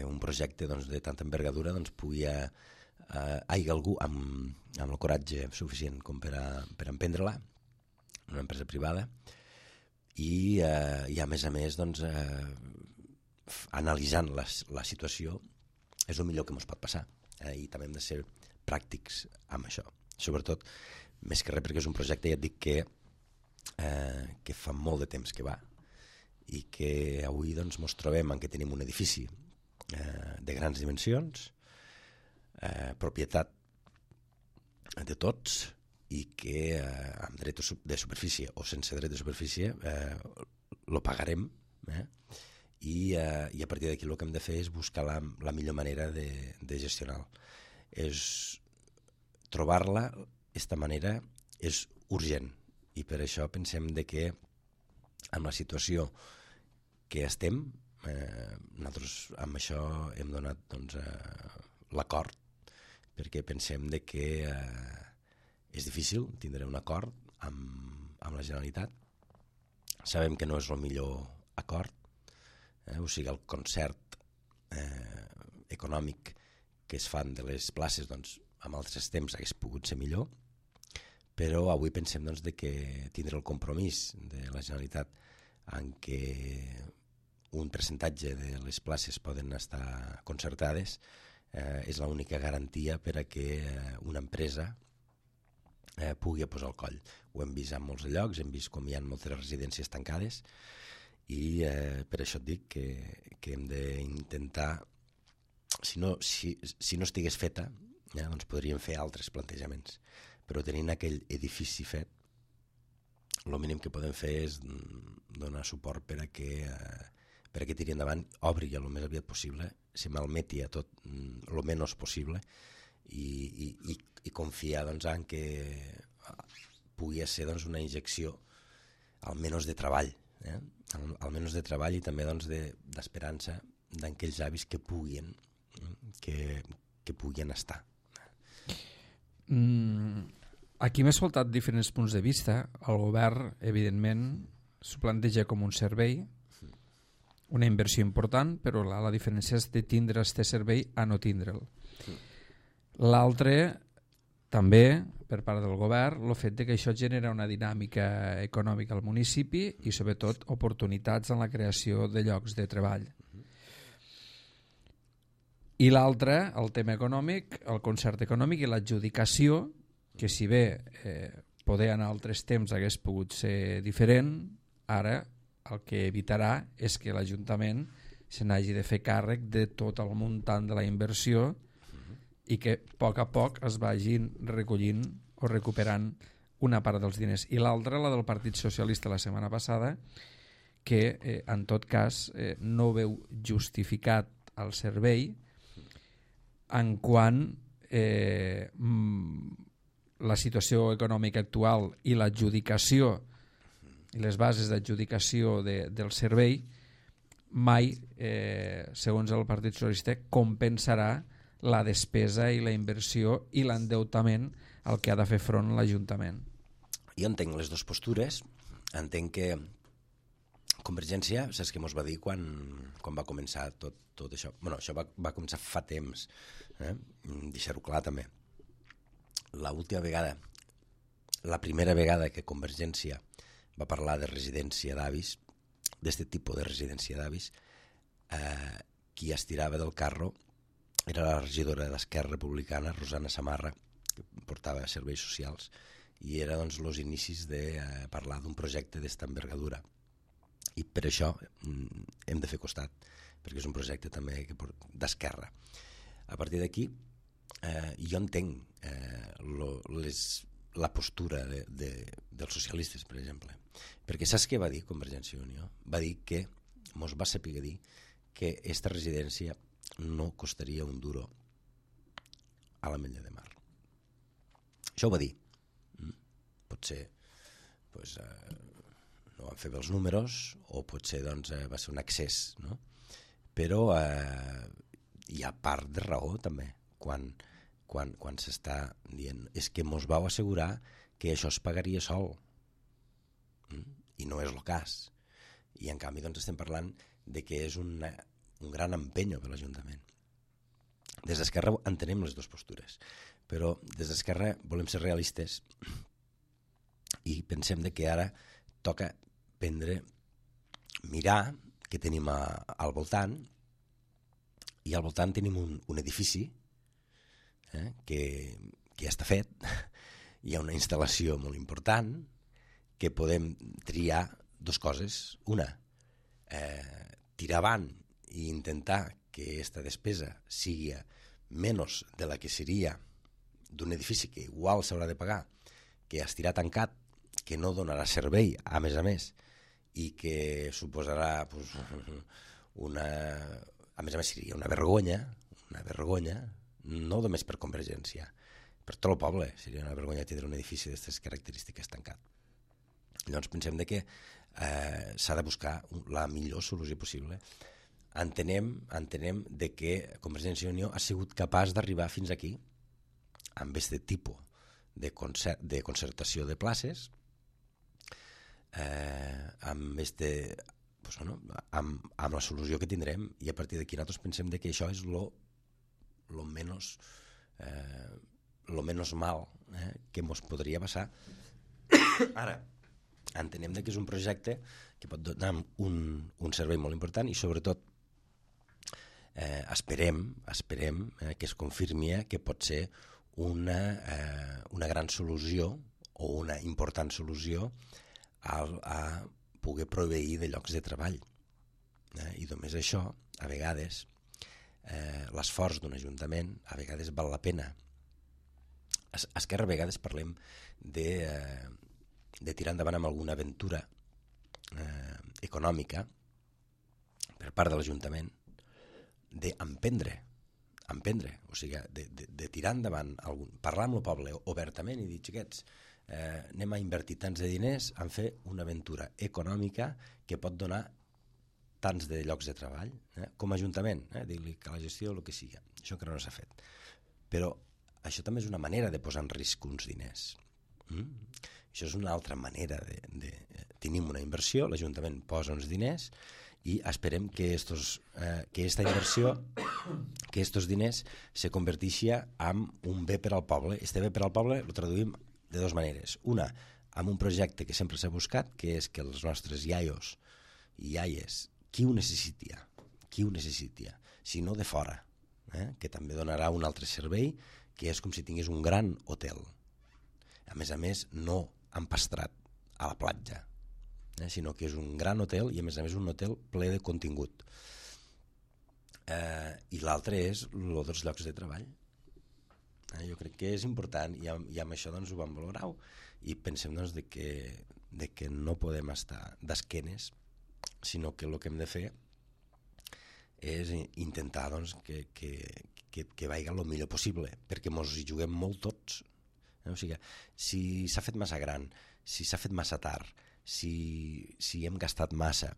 un projecte de tanta envergadura pugui hi hagi algú amb el coratge suficient com per emprendre-la. una empresa privada, i a més, doncs, analitzant la situació és el millor que ens pot passar, i també hem de ser pràctics amb això, sobretot més que res perquè és un projecte, ja et dic, que fa molt de temps que va i que avui doncs ens trobem en què tenim un edifici de grans dimensions, propietat de tots, i que amb dret de superfície o sense dret de superfície lo pagarem, i a partir d'aquí el que hem de fer és buscar la millor manera de gestionar-lo. Trobar-la, aquesta manera, és urgent, i per això pensem que amb la situació que estem, nosaltres amb això hem donat doncs, l'acord, perquè pensem que és difícil tindre un acord amb la Generalitat. Sabem que no és el millor acord, o sigui, el concert econòmic que es fan de les places, doncs, en altres temps hagués pogut ser millor, però avui pensem doncs, que tindre el compromís de la Generalitat en què un percentatge de les places poden estar concertades és l'única garantia per a que una empresa pugui posar el coll. Ho hem vist en molts llocs, hem vist com hi ha moltes residències tancades, i per això et dic que hem d'intentar, si no estigués feta, doncs podríem fer altres plantejaments, però tenint aquell edifici fet, el mínim que podem fer és donar suport per a que tiri endavant, obri el més aviat possible, se malmeti a tot el menys possible, i confiar doncs, en que pugui ser doncs, una injecció almenys de treball, almenys de treball, i també doncs, d'esperança d'aquells avis que puguin estar. Aquí m'he escoltat diferents punts de vista. El govern, evidentment, s'ho planteja com un servei, una inversió important, però la diferència és de tindre aquest servei a no tindre'l. L'altre, també, per part del govern, el fet que això genera una dinàmica econòmica al municipi i, sobretot, oportunitats en la creació de llocs de treball. I l'altre, el tema econòmic, el concert econòmic i l'adjudicació, que si bé poder en altres temps hagués pogut ser diferent, ara el que evitarà és que l'Ajuntament se n'hagi de fer càrrec de tot el muntant de la inversió i que a poc es vagin recollint o recuperant una part dels diners. I l'altra, la del Partit Socialista la setmana passada, que en tot cas no veu justificat el servei en quant la situació econòmica actual i l'adjudicació i les bases d'adjudicació del servei mai, segons el Partit Socialista, compensarà la despesa i la inversió i l'endeutament al que ha de fer front l'Ajuntament. Jo entenc les dues postures. Entenc que Convergència, saps què mos va dir quan va començar tot això? Bueno, això va començar fa temps, deixar-ho clar també. La primera vegada que Convergència va parlar de residència d'avis, d'aquest tipus de residència d'avis, qui estirava del carro era la regidora d'Esquerra Republicana, Rosana Samarra, que portava serveis socials, i era doncs els inicis de parlar d'un projecte d'esta envergadura. I per això hem de fer costat, perquè és un projecte també d'esquerra. A partir d'aquí, jo entenc la postura dels socialistes, per exemple, perquè saps què va dir Convergència i Unió? Va dir que, mos va saber dir, que aquesta residència no costaria un duro a l'Ametlla de Mar. Això ho va dir. Potser no van fer bé els números, o potser va ser un excés, no? Però hi ha part de raó també quan s'està dient és que mos vau assegurar que això es pagaria sol, i no és el cas, i en canvi estem parlant de que és un gran empenyo per l'Ajuntament. Des d'Esquerra entenem les dues postures, però des d'Esquerra volem ser realistes I pensem de que ara toca mirar què tenim al voltant, i al voltant tenim un edifici que ja està fet, hi ha una instal·lació molt important, que podem triar dues coses. Una, tirar avant i intentar que aquesta despesa sigui menys de la que seria d'un edifici que igual s'haurà de pagar, que estirà tancat, que no donarà servei, a més, i que suposarà a més seria una vergonya, no només per Convergència, per tot el poble seria una vergonya tindre un edifici d'aquestes característiques tancat. Llavors pensem que s'ha de buscar la millor solució possible. Entenem de que Convergència i Unió ha sigut capaç d'arribar fins aquí amb aquest tipus de concertació de places, amb la solució que tindrem, i a partir d'aquí nosaltres pensem que això és lo menos mal que ens podria passar. Ara, entenem que és un projecte que pot donar un servei molt important, i sobretot esperem que es confirmi que pot ser una gran solució o una important solució a poder proveir de llocs de treball. I només això, a vegades, l'esforç d'un ajuntament, a vegades val la pena. A Esquerra a vegades parlem de tirar endavant amb alguna aventura econòmica per part de l'Ajuntament, d'emprendre, o sigui, de tirar endavant, parlar amb el poble obertament i dir, xiquets, anem a invertir tants de diners en fer una aventura econòmica que pot donar tants de llocs de treball, com a Ajuntament, dir-li que la gestió el que sigui. Això encara no s'ha fet. Però això també és una manera de posar en risc uns diners. Això és una altra manera tenim una inversió, l'Ajuntament posa uns diners i esperem que aquesta inversió, que aquests diners se converteixi en un bé per al poble. Este bé per al poble el traduïm de dues maneres. Una, amb un projecte que sempre s'ha buscat, que és que els nostres iaios i iaies, qui ho necessita, si no de fora, que també donarà un altre servei, que és com si tingués un gran hotel. A més, no empastrat a la platja, sinó que és un gran hotel i a més un hotel ple de contingut. I l'altre és els llocs de treball. Jo crec que és important i amb això ho vam valorar i pensem de que no podem estar d'esquenes, sinó que el que hem de fer és intentar que vagi el millor possible, perquè ens hi juguem molt tots. O sigui, si s'ha fet massa gran, si s'ha fet massa tard, si hem gastat massa,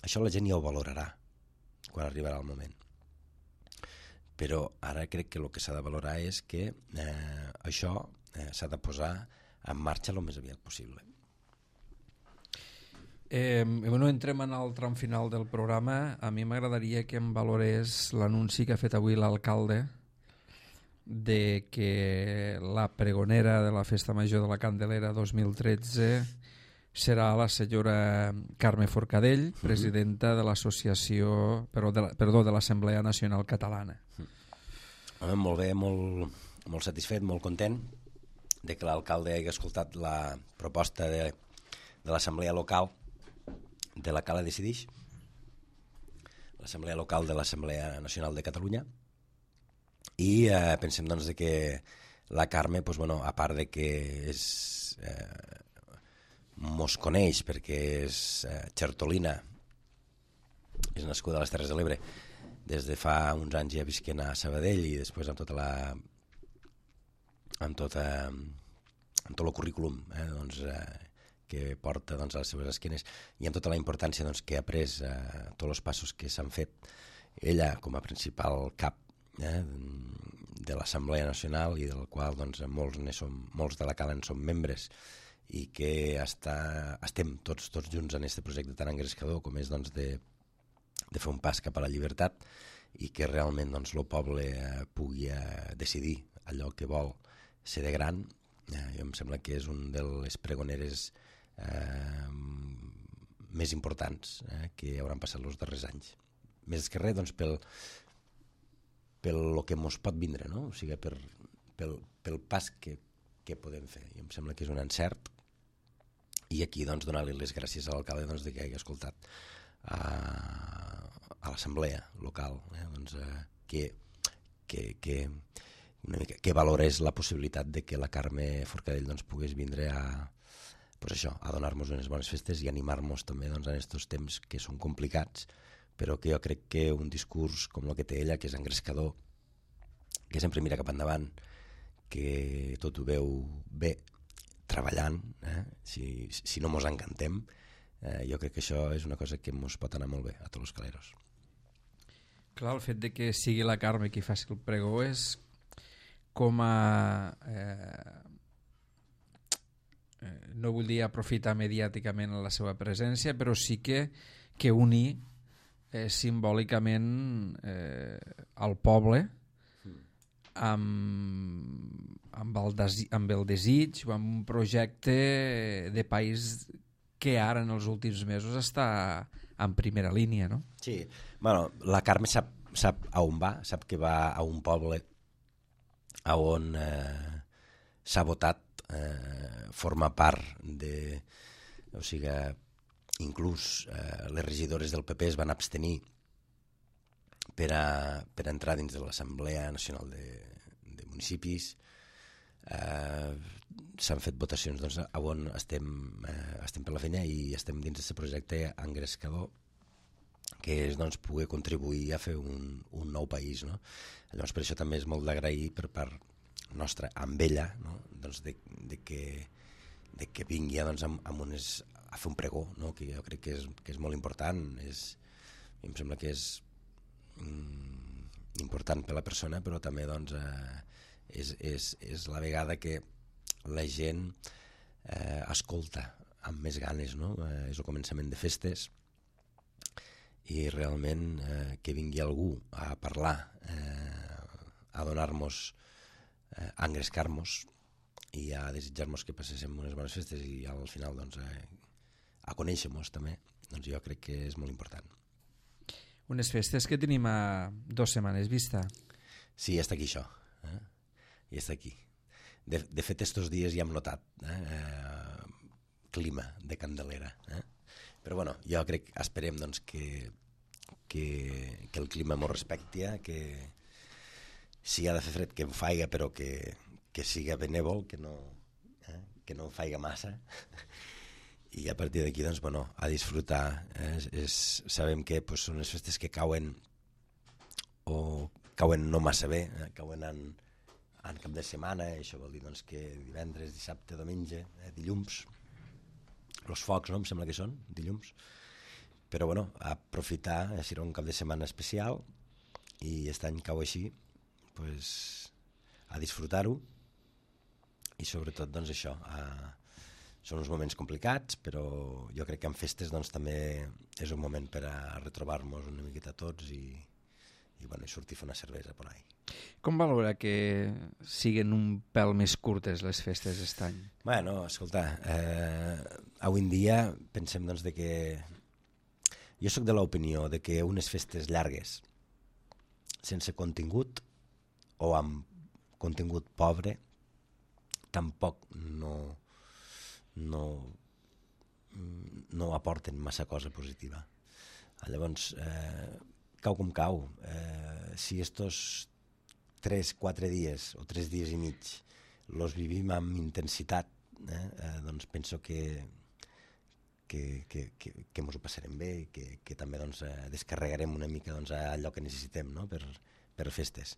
això la gent ja ho valorarà quan arribarà el moment. Però ara crec que el que s'ha de valorar és que això s'ha de posar en marxa el més aviat possible. Entrem en el tram final del programa. A mi m'agradaria que em valorés l'anunci que ha fet avui l'alcalde de que la pregonera de la Festa Major de la Candelera 2013 serà la senyora Carme Forcadell, presidenta de l'associació, de l'Assemblea Nacional Catalana. Molt bé, molt satisfet, molt content de que l'alcalde hagi escoltat la proposta de l'Assemblea Local de la Cala Decidix, l'Assemblea Local de l'Assemblea Nacional de Catalunya, i pensem que la Carme, a part de que mos coneix perquè és xertolina, és nascuda a les Terres de l'Ebre, des de fa uns anys ja visquent a Sabadell i després amb tot el currículum que porta a les seves esquenes i amb tota la importància que ha pres tots els passos que s'han fet ella com a principal cap de l'Assemblea Nacional i del qual molts de la Cala en som membres i que estem tots junts en aquest projecte tan engrescador com és de fer un pas cap a la llibertat i que realment el poble pugui decidir allò que vol ser de gran. Jo em sembla que és un de les pregoneres més importants que hauran passat els darrers anys. Més que res, doncs, pel que mos pot vindre, no? O sigui, pel pas que podem fer. I em sembla que és un encert, i aquí doncs, donar-li les gràcies a l'alcalde doncs, que hagi escoltat a l'assemblea local, doncs, que valorés la possibilitat de que la Carme Forcadell doncs, pogués vindre a donar-nos unes bones festes i animar-nos també doncs, en aquests temps que són complicats, però que jo crec que un discurs com el que té ella, que és engrescador, que sempre mira cap endavant, que tot ho veu bé treballant, si no mos encantem, jo crec que això és una cosa que mos pot anar molt bé a tots els caleros. Clar, el fet de que sigui la Carme qui faci el pregó és com a... no vull dir aprofitar mediàticament la seva presència, però sí que unir simbòlicament al poble amb el desig o amb un projecte de país que ara en els últims mesos està en primera línia, no? Sí, bueno, la Carme sap a on va, sap que va a un poble a on s'ha votat formar part de... O sigui, inclús les regidores del PP es van abstenir per entrar dins de l'Assemblea Nacional de Municipis. S'han fet votacions doncs, on estem per la feina i estem dins d'aquest projecte engrescador que és doncs, poder contribuir a fer un nou país, no? Llavors per això també és molt d'agrair per part nostra amb ella, no? Doncs de que vingui doncs, a fer un pregó, no? Que jo crec que és molt important, em sembla que és important per la persona, però també doncs, és la vegada que la gent escolta amb més ganes, no? És el començament de festes i realment que vingui algú a parlar, a donar-nos, a engrescar-nos i a desitjar-nos que passéssim unes bones festes i al final doncs, a conèixer-nos també, doncs jo crec que és molt important. Unes festes que tenim a 2 setmanes vista. Sí, ja està aquí això. Ja està aquí. De fet, estos dies ja hem notat clima de Candelera. Però bueno, jo crec, esperem doncs, que el clima m'ho respecti, que si ha de fer fred que em faiga, però que siga benèvol, que no em faiga massa. I a partir d'aquí doncs, bueno, a disfrutar. Sabem que pues, són les festes que cauen no massa bé, cauen en cap de setmana, això vol dir doncs, que divendres, dissabte, diumenge, dilluns, els focs, no? Em sembla que són dilluns, però bueno, aprofitar, serà un cap de setmana especial i aquest any cau així, pues, a disfrutar-ho i sobretot doncs això, són uns moments complicats, però jo crec que en festes doncs, també és un moment per a retrobar-nos una miqueta tots i bueno, sortir a fer una cervesa per ahí. Com valora que siguin un pèl més curtes les festes aquest any? Bueno, escolta, avui en dia pensem doncs, de que... Jo sóc de l'opinió de que unes festes llargues, sense contingut o amb contingut pobre, tampoc no aporten massa cosa positiva. Llavors, cau com cau. Si estos 3-4 dies o 3 dies i mig los vivim amb intensitat, doncs penso que mos ho passarem bé i que també doncs, descarregarem una mica doncs, allò que necessitem, no? per festes.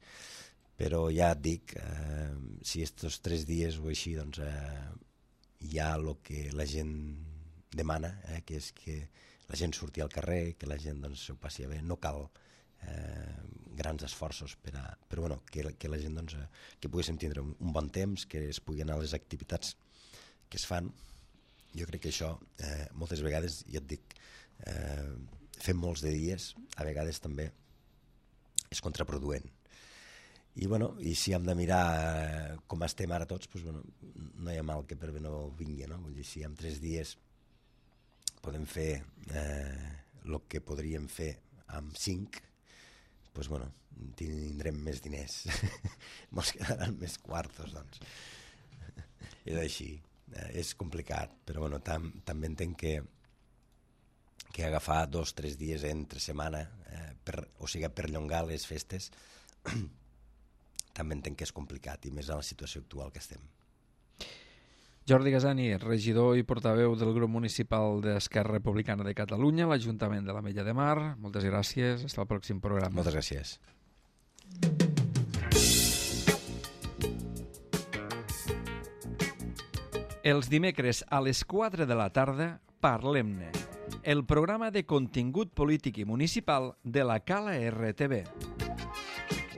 Però ja et dic, si estos 3 dies o així doncs, hi ha el que la gent demana, que és que la gent surti al carrer, que la gent doncs, s'ho passi bé, no cal grans esforços però bueno, que la gent doncs, que poguéssim tindre un bon temps, que es pugui anar a les activitats que es fan. Jo crec que això moltes vegades, ja et dic, fem molts de dies, a vegades també és contraproduent I si hem de mirar com estem ara tots, no hi ha mal que per bé no vingui, no? Vull dir, si en 3 dies podem fer el que podríem fer amb 5, tindrem més diners. Mos quedaran més quartos, doncs. És així. És complicat, però també entenc que agafar 2-3 dies entre setmana, per perllongar les festes, també entenc que és complicat, i més en la situació actual que estem. Jordi Gasani, regidor i portaveu del grup municipal d'Esquerra Republicana de Catalunya, l'Ajuntament de l'Ametlla de Mar. Moltes gràcies, fins al pròxim programa. Moltes gràcies. Els dimecres a les 4 de la tarda, Parlem-ne, el programa de contingut polític i municipal de la Cala RTV.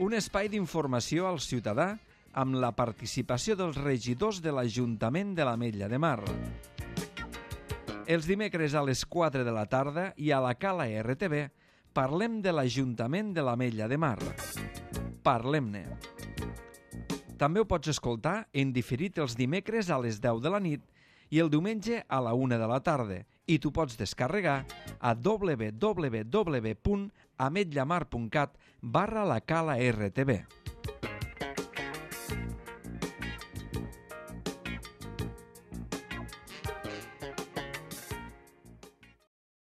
Un espai d'informació al ciutadà amb la participació dels regidors de l'Ajuntament de l'Ametlla de Mar. Els dimecres a les 4 de la tarda i a la Cala RTV parlem de l'Ajuntament de l'Ametlla de Mar. Parlem-ne. També ho pots escoltar en diferit els dimecres a les 10 de la nit i el diumenge a la 1 de la tarda, i t'ho pots descarregar a www.ametllamar.cat/la Cala RTV.